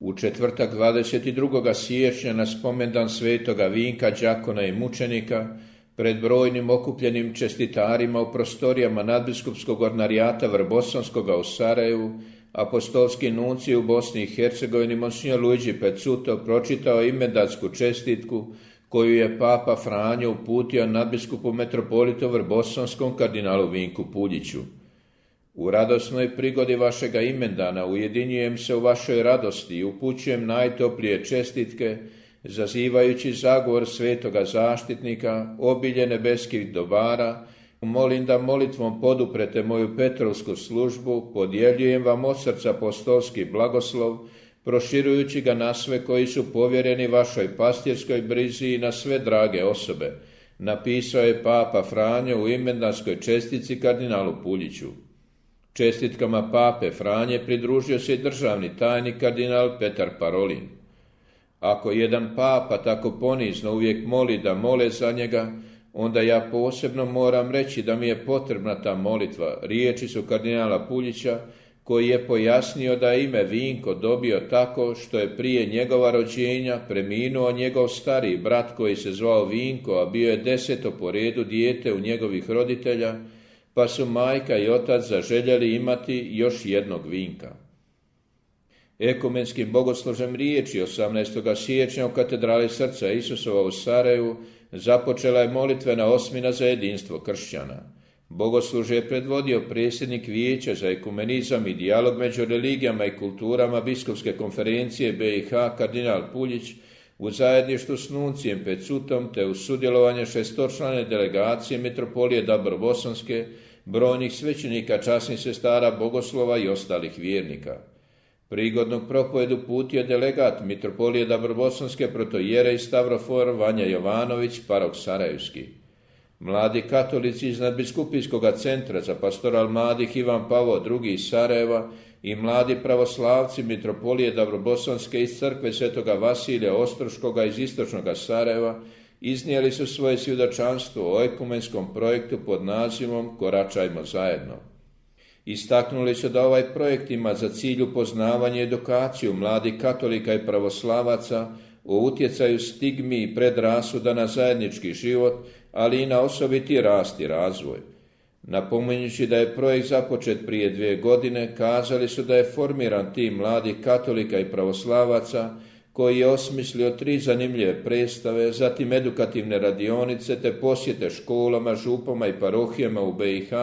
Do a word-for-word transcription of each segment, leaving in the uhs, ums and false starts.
U četvrtak dvadeset drugog siječnja na spomendan svetoga Vinka, đakona i mučenika, pred brojnim okupljenim čestitarima u prostorijama nadbiskupskog ordinarijata Vrbosanskoga u Sarajevu, apostolski nuncij u Bosni i Hercegovini Monsignor Luigi Pezzuto pročitao imendansku čestitku koju je Papa Franjo uputio nadbiskupu metropolitu Vrbosanskom kardinalu Vinku Puljiću. U radosnoj prigodi vašega imendana ujedinjujem se u vašoj radosti i upućujem najtoplije čestitke, zazivajući zagovor svetoga zaštitnika, obilje nebeskih dobara. Molim da molitvom poduprete moju Petrovsku službu, podjeljujem vam od srca apostolski blagoslov, proširujući ga na sve koji su povjereni vašoj pastirskoj brizi i na sve drage osobe, napisao je Papa Franjo u imendanskoj čestitci kardinalu Puljiću. Čestitkama Pape Franje pridružio se i državni tajnik kardinal Petar Parolin. Ako jedan papa tako ponizno uvijek moli da mole za njega, onda ja posebno moram reći da mi je potrebna ta molitva. Riječi su kardinala Puljića, koji je pojasnio da je ime Vinko dobio tako što je prije njegova rođenja preminuo njegov stariji brat koji se zvao Vinko, a bio je deseto po redu dijete u njegovih roditelja, pa su majka i otac zaželjeli imati još jednog Vinka. Ekumenskim bogoslužem riječi osamnaestog siječnja u katedrali Srca Isusova u Sarajevu započela je molitvena osmina za jedinstvo kršćana. Bogoslužje je predvodio predsjednik Vijeća za ekumenizam i dijalog među religijama i kulturama Biskupske konferencije B i H kardinal Puljić u zajedništvu s nuncijem Pezzutom te u sudjelovanje šestočlane delegacije Mitropolije Dabrobosanske, brojnih svećenika, časnih sestara, bogoslova i ostalih vjernika. Prigodnu propovedu putio delegat Mitropolije Dabrobosanske protoijerej Stavrofor Vanja Jovanović, parok Sarajevski. Mladi katolici iz nadbiskupijskog centra za pastoral mladih Ivan Pavao drugi iz Sarajeva i mladi pravoslavci Mitropolije Dabrobosanske iz crkve svetoga Vasilija Ostroškoga iz istočnoga Sarajeva iznijeli su svoje svjedočanstvo o ekumenskom projektu pod nazivom Koračajmo zajedno. Istaknuli su da ovaj projekt ima za cilj upoznavanje i edukaciju mladih katolika i pravoslavaca o utjecaju stigmi i predrasuda na zajednički život, ali i na osobiti rast i razvoj. Napominjući da je projekt započet prije dvije godine, kazali su da je formiran tim mladih katolika i pravoslavaca koji je osmislio tri zanimljive predstave, zatim edukativne radionice te posjete školama, župama i parohijama u B i H,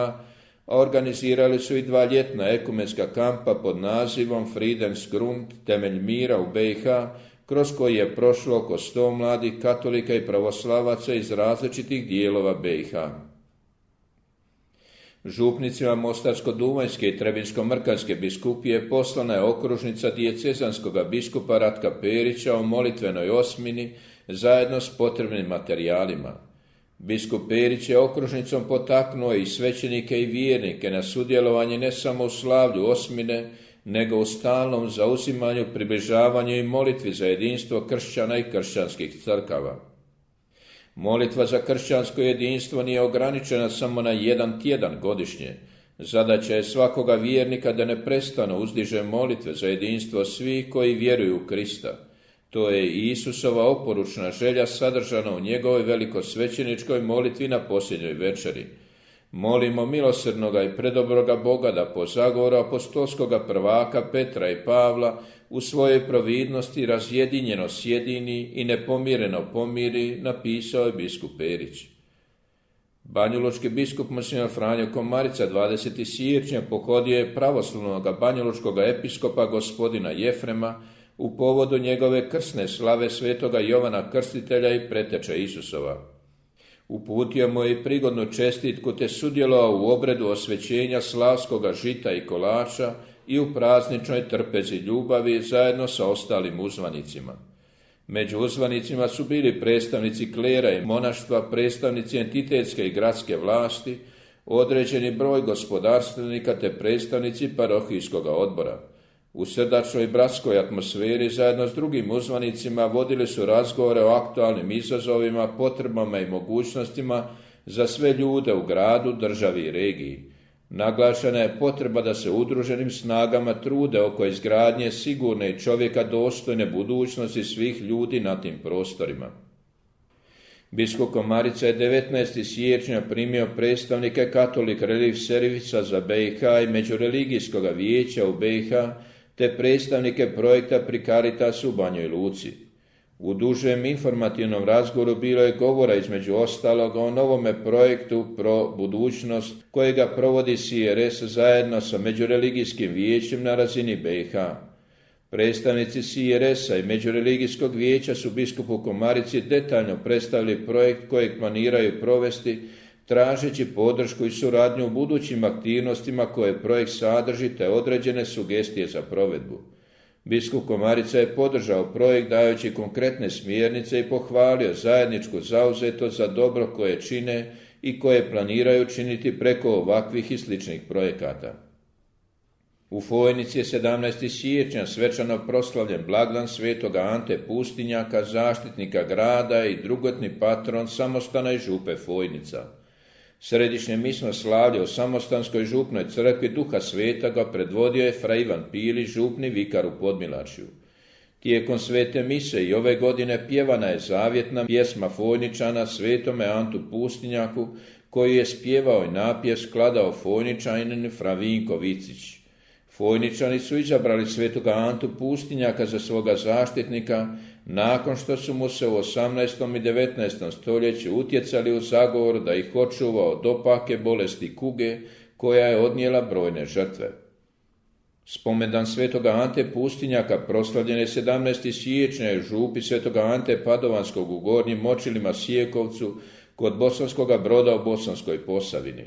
a organizirali su i dva ljetna ekumenska kampa pod nazivom Friedensgrund, temelj mira u B i H, kroz koji je prošlo oko sto mladih katolika i pravoslavaca iz različitih dijelova B i H. Župnicima Mostarsko-Duvanjske i Trebinsko-Mrkanjske biskupije poslana je okružnica dijecezanskoga biskupa Ratka Perića o molitvenoj osmini zajedno s potrebnim materijalima. Biskup Perić je okružnicom potaknuo i svećenike i vjernike na sudjelovanje ne samo u slavlju osmine, nego u stalnom zauzimanju, približavanju i molitvi za jedinstvo kršćana i kršćanskih crkava. Molitva za kršćansko jedinstvo nije ograničena samo na jedan tjedan godišnje. Zadaća je svakoga vjernika da neprestano uzdiže molitve za jedinstvo svih koji vjeruju u Krista. To je i Isusova oporučna želja sadržana u njegovoj velikosvećeničkoj molitvi na posljednjoj večeri. Molimo milosrdnoga i predobroga Boga da po zagovoru apostolskoga prvaka Petra i Pavla u svojoj providnosti razjedinjeno sjedini i nepomireno pomiri, napisao je biskup Perić. Banjalučki biskup Monsignor Franjo Komarica dvadesetog siječnja pohodio je pravoslavnog banjalučkog episkopa gospodina Jefrema u povodu njegove krsne slave svetoga Jovana Krstitelja i preteče Isusova. Uputio mu je i prigodnu čestitku te sudjelovao u obredu osvećenja slavskoga žita i kolača i u prazničnoj trpezi ljubavi zajedno sa ostalim uzvanicima. Među uzvanicima su bili predstavnici klera i monaštva, predstavnici entitetske i gradske vlasti, određeni broj gospodarstvenika te predstavnici parohijskoga odbora. U srdačnoj bratskoj atmosferi zajedno s drugim uzvanicima vodili su razgovore o aktualnim izazovima, potrebama i mogućnostima za sve ljude u gradu, državi i regiji. Naglašena je potreba da se udruženim snagama trude oko izgradnje sigurne i čovjeka dostojne budućnosti svih ljudi na tim prostorima. Biskup Komarica je devetnaestog siječnja primio predstavnike Katolik Relief Servisa za B i H i Međureligijskog vijeća u B i H, te predstavnike projekta Pri Caritasu u Banjoj Luci. U dužem informativnom razgovoru bilo je govora između ostaloga o novome projektu Pro budućnost kojega provodi C R S zajedno sa Međureligijskim vijećem na razini B i H. Predstavnici C R S-a i Međureligijskog vijeća su biskupu Komarici detaljno predstavili projekt kojeg planiraju provesti, tražeći podršku i suradnju u budućim aktivnostima koje projekt sadrži te određene sugestije za provedbu. Biskup Komarica je podržao projekt dajući konkretne smjernice i pohvalio zajedničku zauzetost za dobro koje čine i koje planiraju činiti preko ovakvih i sličnih projekata. U Fojnici je sedamnaestog siječnja svečano proslavljen blagdan svetoga Ante Pustinjaka, zaštitnika grada i drugotni patron samostana i župe Fojnica. Središnje misno slavlje u samostanskoj župnoj crkvi Duha Svetoga predvodio je fra Ivan Pilić, župni vikar u Podmilačju. Tijekom svete mise i ove godine pjevana je zavjetna pjesma Fojničana svetome Antu Pustinjaku, koji je spjevao i napjev skladao Fojničanin fra Vinko Vicić. Fojničani su izabrali svetoga Antu Pustinjaka za svoga zaštitnika nakon što su mu se u osamnaestom i devetnaestom stoljeću utjecali u zagovor da ih očuva od opake bolesti kuge koja je odnijela brojne žrtve. Spomendan svetoga Ante Pustinjaka proslavljen je sedamnaestog siječnja u župi svetoga Ante Padovanskog u Gornjim Močilima Sijekovcu kod Bosanskoga Broda u Bosanskoj Posavini.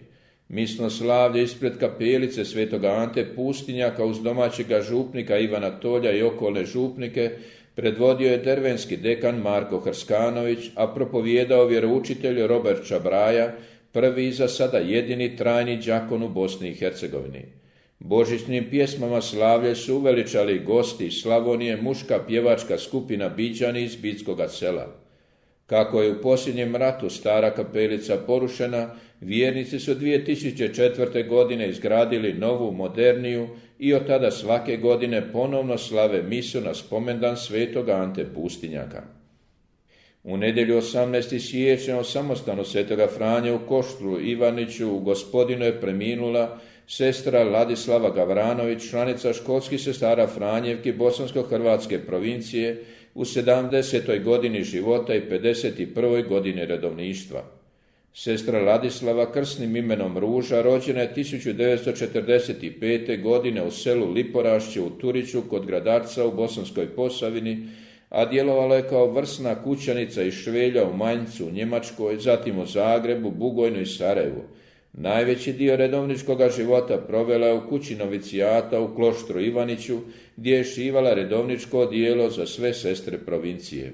Misno slavlje ispred kapelice svetoga Ante Pustinjaka uz domaćega župnika Ivana Tolja i okolne župnike predvodio je dervenski dekan Marko Hrskanović, a propovijedao vjeroučitelj Robert Čabraja, prvi i za sada jedini trajni đakon u Bosni i Hercegovini. Božićnim pjesmama slavlje su uveličali gosti iz Slavonije, muška pjevačka skupina Biđani iz Bitskoga sela. Kako je u posljednjem ratu stara kapelica porušena, vjernici su dvije tisuće četvrte. godine izgradili novu, moderniju i od tada svake godine ponovno slave misu na spomendan svetoga Ante Pustinjaka. U nedjelju osamnaestog siječnja u samostanu svetoga Franje u Koštru Ivaniću u Gospodinu je preminula sestra Ladislava Gavranović, članica školskih sestara Franjevki Bosansko-Hrvatske provincije u sedamdesetoj godini života i pedeset prvoj godini redovništva. Sestra Ladislava krsnim imenom Ruža rođena je tisuću devetsto četrdeset pete. godine u selu Liporašće u Turiću kod Gradarca u Bosanskoj Posavini, a djelovala je kao vrsna kućanica iz Švelja u Manjcu u Njemačkoj, zatim u Zagrebu, Bugojnu i Sarajevu. Najveći dio redovničkoga života provela je u kući novicijata u Kloštru Ivaniću, gdje je šivala redovničko odijelo za sve sestre provincije.